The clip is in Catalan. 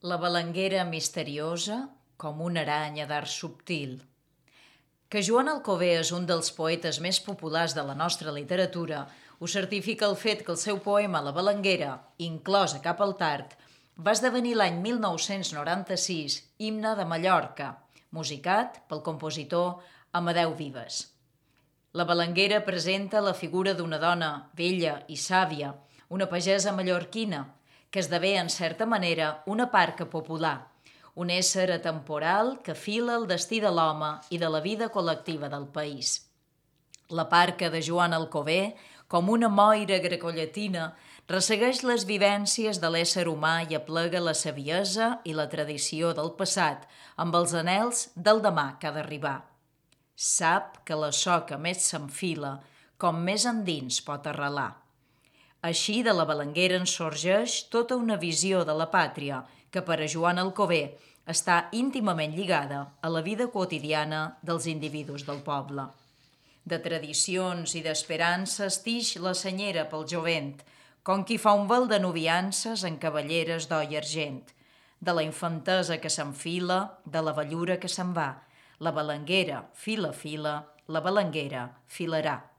La balanguera misteriosa com una aranya d'art subtil. Que Joan Alcover és un dels poetes més populars de la nostra literatura ho certifica el fet que el seu poema La balanguera, inclòs a Cap al Tard, va esdevenir l'any 1996 himne de Mallorca, musicat pel compositor Amadeu Vives. La balanguera presenta la figura d'una dona vella i sàvia, una pagesa mallorquina, que esdevé en certa manera una parca popular, un ésser atemporal que fila el destí de l'home i de la vida col·lectiva del país. La parca de Joan Alcover, com una moira grecollatina, ressegueix les vivències de l'ésser humà i aplega la saviesa i la tradició del passat amb els anhels del demà que ha d'arribar. Sap que la soca més s'enfila, com més endins pot arrelar. Així de la balanguera en sorgeix tota una visió de la pàtria que per a Joan Alcover està íntimament lligada a la vida quotidiana dels individus del poble. De tradicions i d'esperances tix la senyera pel jovent, com qui fa un vel de noviances en cavalleres d'or i argent. De la infantesa que s'enfila, de la vellura que se'n va, la balanguera fila, la balanguera filarà.